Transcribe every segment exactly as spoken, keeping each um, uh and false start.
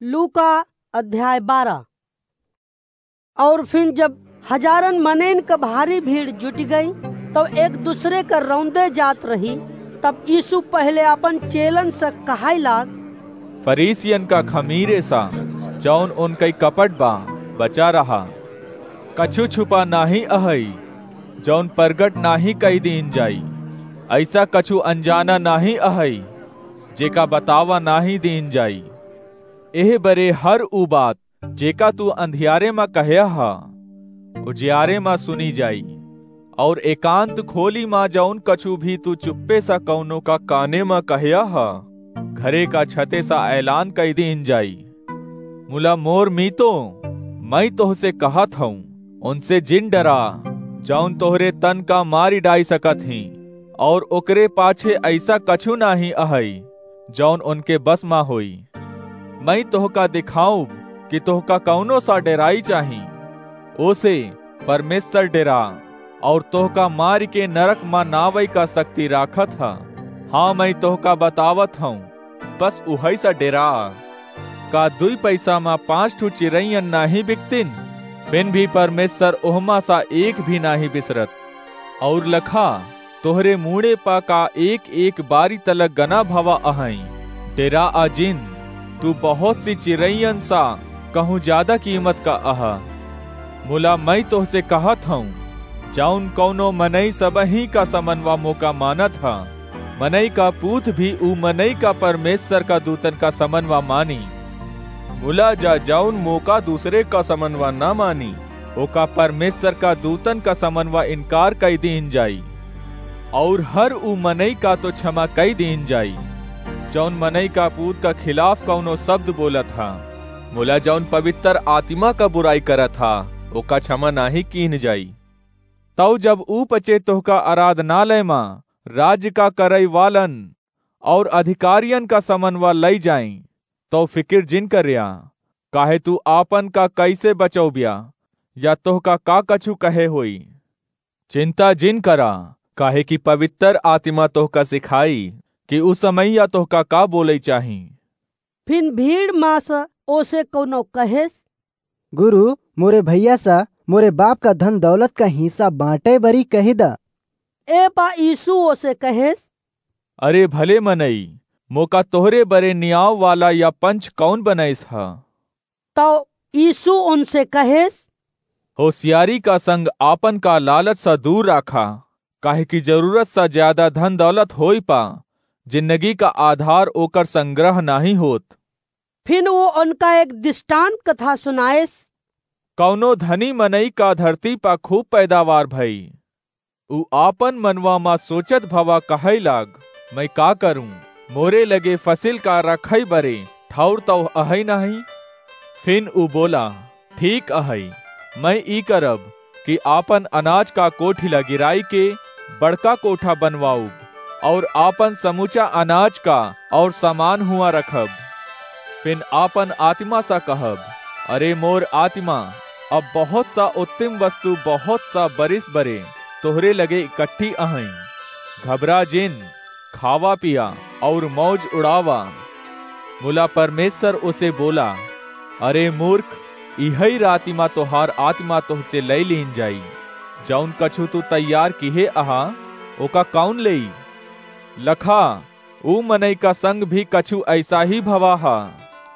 लूका अध्याय बारह। और फिर जब हजारन मनइन क भारी भीड़ जुटि गई, तब एक दूसरे क रौंदे जात रही। तब यीशु पहले आपन चेलन से कहाई लाग, फरीसियन का खमीरे सा, जौन उनकई कपट बा, बचा रहा। कछु छुपा नाहीं अहई, जौन प्रगट नाहीं कई दीन जाई। ऐसा कछु अनजाना नाहीं अहई, जेका बतावा नाहीं दीन जाई। एह बरे हर ऊ बात, जेका तू अंधियारे मा कहया हा, उजियारे मा सुनी जाई, और एकांत खोली मा जौन कछु भी तू चुप्पे सा कौनो का काने मा कहया हा, घरे का छते सा ऐलान कई दीन जाई। मुला मोर मीतो, मैं तोहसे कहत हूँ, उनसे जिन डरा, जौन तोहरे तन का मारी डाई सकत ही, और ओकरे पाछे ऐसा कछु नाहीं अहई, जौन उनके बस मा होई। मैं तोहका दिखाऊब कि तोहका कौनो सा डेराई चाही। ओसे परमेश्वर डेरा, और तोहका मारि के नरक मा नावई का शक्ति राखत ह। हाँ, मैं तोहका बतावत हूँ, बस उहई सा डेरा। का दुई पैसा मा पाँच ठो चिरैयन नाहीं बिकतिन? फिन भी परमेश्वर ओहमा सा एक भी नाहीं बिसरत। और लखा, तोहरे मूड़े पा का एक एक बारी तलक गना भवा अहई। डेरा आ जिन, तू बहुत सी चिरैयन सा कहूँ ज्यादा कीमत का अहा। मुला मैं तोहसे कहत हूँ, जौन कौनो मनई सबही का समनवा मोका मानत ह, मनई का पूत भी ऊ मनई का परमेश्वर का दूतन का समनवा मानी। मुला जा जौन मोका दूसरे का समनवा ना मानी, ओका परमेश्वर का दूतन का समनवा इनकार कई दीन जाई। और हर ऊ मनई का तो क्षमा कई दीन जाई, जौन मनई का पूत का खिलाफ कौनो शब्द बोलत हा। मुला जौन पवित्र आत्मा का बुराई करत हा, ओका क्षमा नाहीं कीन जाई। तौ जब ऊ पचे तोहका आराधनालय मा राज्य का करई वालन और अधिकारियन का समनवा लई जाई, तौ फिकिर जिन करिया, काहे तू आपन का कैसे बचौबिया, या तोहका का कछु कहे होई। चिंता जिन करा, काहे कि पवित्र आत्मा तोहका सिखाई कि उ समैया तोहका का बोलई चाही। फिन भीड़ मा से ओसे कौनो कहेस, गुरु, मोरे भैया सा मोरे बाप का धन दौलत का हिस्सा बाँटै बरी कहि द। ए पा यीशु ओसे कहेस, अरे भले मनई, मोका तोहरे बरे नियाव वाला या पंच कौन बनैस ह? तौ यीशु उनसे कहेस, होशियारी का संग आपन का लालच सा दूर राखा, काहे कि जरूरत सा ज्यादा धन दौलत होई पा जिंदगी का आधार ओकर संग्रह नाहीं होत। फिन वो उनका एक दृष्टांत कथा सुनाएस। कौनो धनी मनई का धरती पा खूब पैदावार भई। उ आपन मनवा मा सोचत भवा कहै लाग, मैं का करूं? मोरे लगे फसिल का रखै बरे ठौर तौ अहै नाहीं। फिन उ बोला, ठीक अहै, मैं ई करब कि आपन अनाज का कोठिला गिराई के बड़का कोठा बनवाउब, और आपन समूचा अनाज का और सामान हुआ रखब। फिन आपन आत्मा सा कहब, अरे मोर आत्मा, अब बहुत सा उत्तम वस्तु बहुत सा बरिस बरे तोहरे लगे इकट्ठी अहैं। घबरा जिन, खावा पिया और मौज उड़ावा। मुला परमेश्वर उसे बोला, अरे मूर्ख, इहै राति मा तोहार आत्मा तोहसे लई लीन जाई। जौन कछु तू तैयार किहे अहा, ओका कौन लेई? लखा, ऊ मनई का संग भी कछु ऐसा ही भवा हा।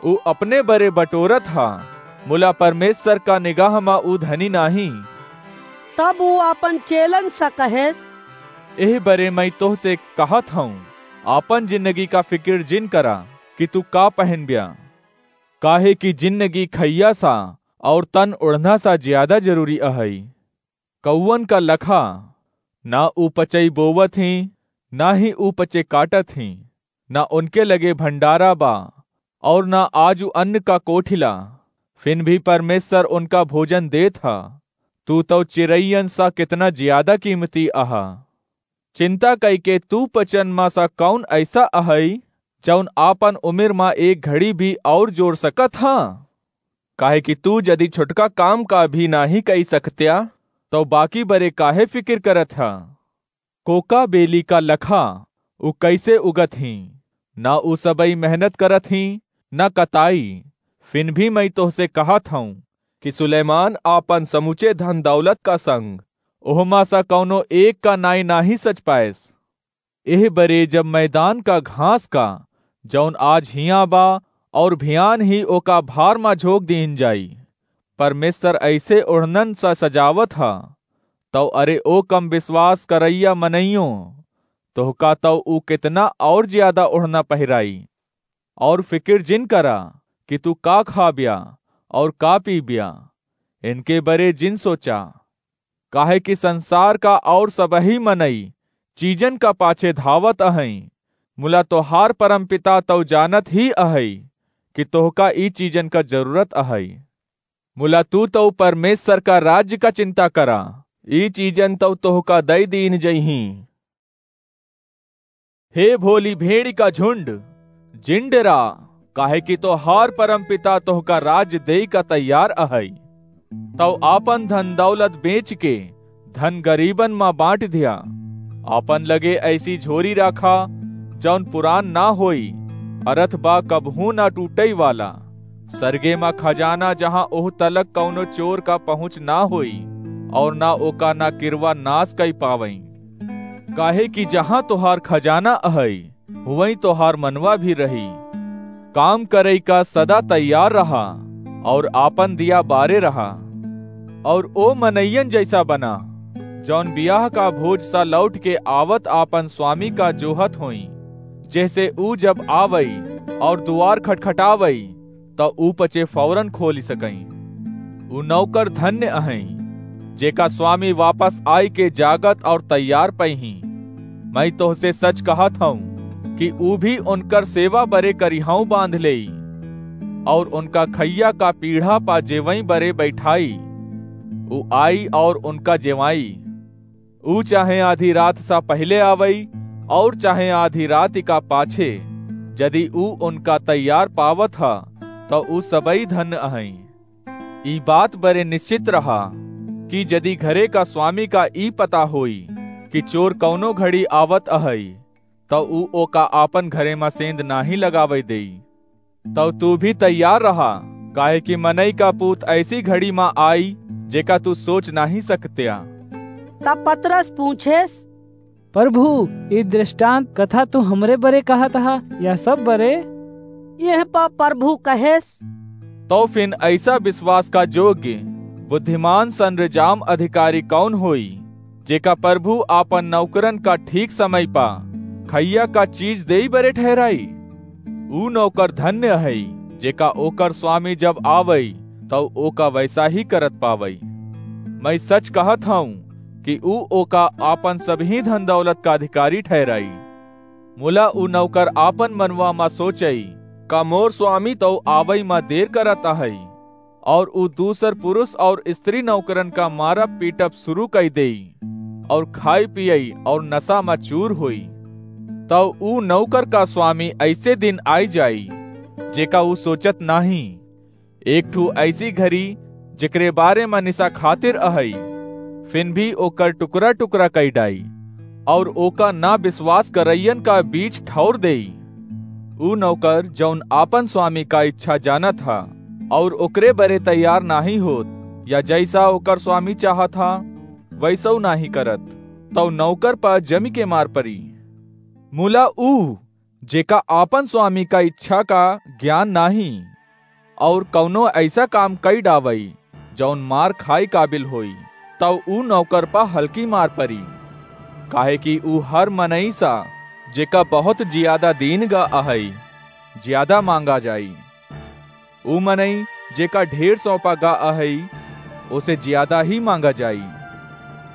ऊ अपने बरे बटोरत हा, मुला परमेश्वर का निगाह मा ऊ धनी नाहीं। तब ऊ आपन चेलन सा कहेस, एह बरे मैं तोहसे कहत हूँ, आपन जिंदगी का फिकिर जिन करा कि तू का पहनब्या, काहे कि जिंदगी खइया सा और तन ओढ़ना सा ज्यादा जरूरी अहई। कौवन का लखा, ना ऊ पचई बोवत हीं, ना ही ऊ पचे काटत हीं, ना उनके लगे भंडारा बा, और ना आजु अन्न का कोठिला, फिन भी परमेश्वर उनका भोजन देत ह। तू तौ चिरैयन सा कितना ज्यादा कीमती अहा। चिंता कइके तू पचन मा सा कौन ऐसा अहई, जौन आपन उमिर मा एक घड़ी भी और जोर सकत ह? काहे कि तू यदि छोटका काम का भी नाहीं कई सकत्या, तौ बाकी बरे काहे फिकिर करत ह? कोका बेली का लखा ऊ कैसे उगत हीं? ना ऊ सबई मेहनत करत हीं, ना कताई, फिन भी मैं तोहसे कहत हऊँ कि सुलैमान आपन समुचे धन दौलत का संग ओहमा सा कौनो एक का नाई नाहीं सच पाएस। एह बरे जब मैदान का घास का, जौन आज हियाँ बा और भियान ही ओका भार मा झोंक दीन जाई, परमेश्वर ऐसे ओढ़नन सा सजावत हा, तौ अरे ओ कम विश्वास करैया मनइयो, तोहका तौ ऊ कितना और ज्यादा ओढ़ना पहिराई। और फिकिर जिन करा कि तू का खाब्या और का पीब्या, इनके बरे जिन सोचा। काहे कि संसार का और सबही मनई चीजन का पाछे धावत अहई, मुला तोहार परमपिता तौ जानत ही अहई कि तोहका ई चीजन का जरूरत अहई। मुला तू तौ परमेश्वर का राज्य का चिंता करा, ई चीजन तौ तोहका दई दीन जइहीं। हे भोली भेड़ी का झुंड, जिन डेरा, काहे कि तोहार परमपिता तोहका राज्य देई का तैयार अहई। तौ आपन धन दौलत बेच के धन गरीबन मा बांट दिया। आपन लगे ऐसी झोरी राखा, जौन पुरान ना होई, अरथ बा कबहूँ ना टूटई वाला। सरगे मा खजाना, जहाँ ओह तलक कौनो चोर का पहुँच ना होई, और ना ओका ना किरवा नाश कई पावई। काहे कि जहाँ तोहार खजाना अहई, हुवई तोहार मनवा भी रही। काम करई का सदा तैयार रहा, और आपन दिया बारे रहा, और ओ मनइयन जैसा बना, जौन बियाह का भोज सा लौट के आवत आपन स्वामी का जोहत होई, जैसे ऊ जब आवई और दुआर खटखटावई, त ऊ पचे फौरन खोली सकई। ऊ नौकर धन्य अहई, जेका स्वामी वापस आई के जागत और तैयार पइहीं। मैं तोहसे सच कहत हऊँ कि ऊ भी उनकर सेवा बरे करिहाऊ बांध लेई, और उनका खइया का पीढ़ा पा जेवई बरे बैठाई। ऊ आई और उनका जेवाई। ऊ चाहे आधी रात सा पहिले आवई, और चाहे आधी रात का पाछे, यदि ऊ उनका तैयार पावत ह, त ऊ सबई धन्य अहई। ई बात बरे निश्चित रहा कि यदि घरे का स्वामी का ई पता होई कि चोर कौनो घड़ी आवत अहई, त ऊ ओका आपन घरे मा सेंध नाहीं लगावई देई। तौ तू भी तैयार रहा, काहे कि मनई का पूत ऐसी घड़ी मा आई, जेका तू सोच नाहीं सकत्या। तब पतरस पूछेस, प्रभु, ई दृष्टांत कथा तू हमरे बरे कहत हा या सब बरे? यह पा प्रभु कहेस। तौ फिन ऐसा विश्वास का योग्य, बुद्धिमान संरजाम अधिकारी कौन होई, जेका प्रभु आपन नौकरन का ठीक समय पा खइया का चीज देई बरे ठहराई? ऊ नौकर धन्य हई, जेका ओकर स्वामी जब आवई, तौ ओका वैसा ही करत पावई। मैं सच कहत हऊँ कि ऊ ओका आपन सबही धन दौलत का अधिकारी ठहराई। मुला ऊ नौकर आपन मनवा मा सोचई, का मोर स्वामी तौ आवई मा देर करत अहई? और ऊ दूसर पुरुष और स्त्री नौकरन का मारब पीटब शुरू कई देई, और खाई पियई और नशा मा चूर होई। तौ ऊ नौकर का स्वामी ऐसे दिन आई जाई, जेका ऊ सोचत नाहीं। एक ठू ऐसी घरी, जेकरे बारे मा निशा खातिर अहई, फिन भी ओकर टुकड़ा टुकड़ा कई डाई, और ओका ना विश्वास करइयन का बीच ठौर देई। ऊ नौकर, जौन आपन स्वामी का इच्छा जानत हा, और ओकरे बरे तैयार नाहीं होत, या जैसा ओकर स्वामी चाहत हा, वैसौ नाहीं करत, तौ नौकर पा जमि के मार परी। मुला ऊ, जेका आपन स्वामी का इच्छा का ज्ञान नाहीं, और कौनो ऐसा काम कई डावई, जौन मार खाई काबिल होई, तौ ऊ नौकर पा हल्की मार परी। काहे कि ऊ हर मनई सा, जेका बहुत जियादा दीन गा अहई, जियादा मांगा जाई। ऊ मनई, जेका ढेर सौंपा गा अहई, ओसे जियादा ही मांगा जाई।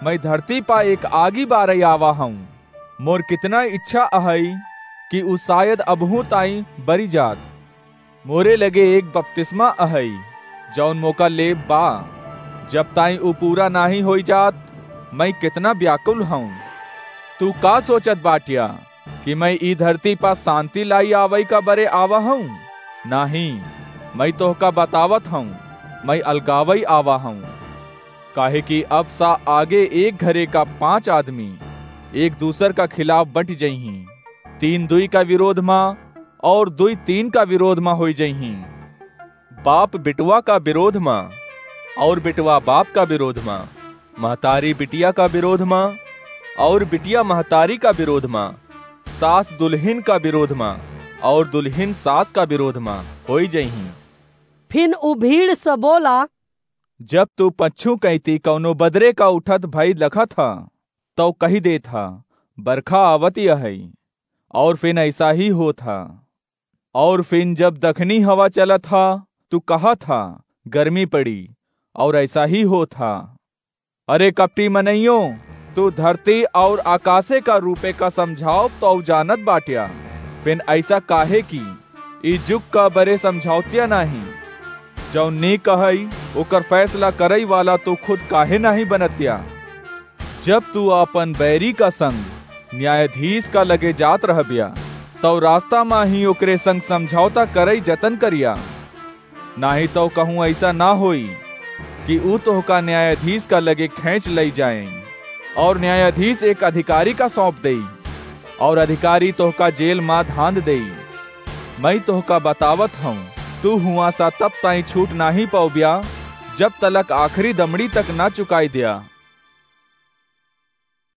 मैं धरती पा एक आगी बारई आवा हऊँ। मोर कितना इच्छा अहई कि ऊ शायद अबहूँ ताई बरी जात। मोरे लगे एक बपतिस्मा अहई, जौन मोका लेब बा। जब ताई ऊ पूरा नाहीं होई जात, मैं कितना व्याकुल हऊँ। तू का सोचत बाट्या कि मैं ई धरती पा शांति लाई आवई का बरे आवा हऊँ? नाहीं, मैं तोहका बतावत हऊँ, मैं अलगावई आवा हऊँ। काहे कि अब सा आगे एक घरे का पांच आदमी एक दूसर का खिलाफ बंट जइहीं, तीन दुई का विरोध मा और दुई तीन का विरोध मा होई जइहीं। बाप बिटवा का विरोध मा, और बिटवा बाप का विरोध मा, महतारी बिटिया का विरोध मा, और बिटिया महतारी का विरोध मा, सास दुलहिन का विरोध मा, और दुलहिन सास का विरोध मा होई जइहीं। फिन उ भीड़ से बोला, जब तू पच्छू कइती कउनो बदरे का उठत भई लखत ह, तउ कहि देत ह, बरखा आवत अहइ, और फिन अइसा ही होत ह। और फिन जब दखनी हवा चलत ह, तू कहत ह, गर्मी पड़ी, और अइसा ही होत ह। अरे कपटी मनइयो, तू धरती और आकासे का रूपे का समझावत तउ जानत बाट्या, फिन अइसा काहे कि ई जुग का बरे समझावत्या नाहीं? जउन नीक कहइ, ओकर फैसला करइ वाला तू खुद काहे नाहीं बनत्या? जब तू आपन बैरी का संग न्यायाधीश का लगे जात रहब्या, तउ रास्ता मा ही ओकरे संग समझौता करइ जतन करिया, नाहीं तउ कहूँ अइसा न होई कि ऊ तोहका न्यायाधीश का लगे खैंच लइ जाएँ, और न्यायाधीश एक अधिकारी का सौंप देई, और अधिकारी तोहका जेल मा धांध देई। मइँ तोहका बतावत हउँ, तू हुआँ सा तब ताईं छूट नाहीं पउब्या, जब तलक आखिरी दमड़ी तक न चुकाइ द्या।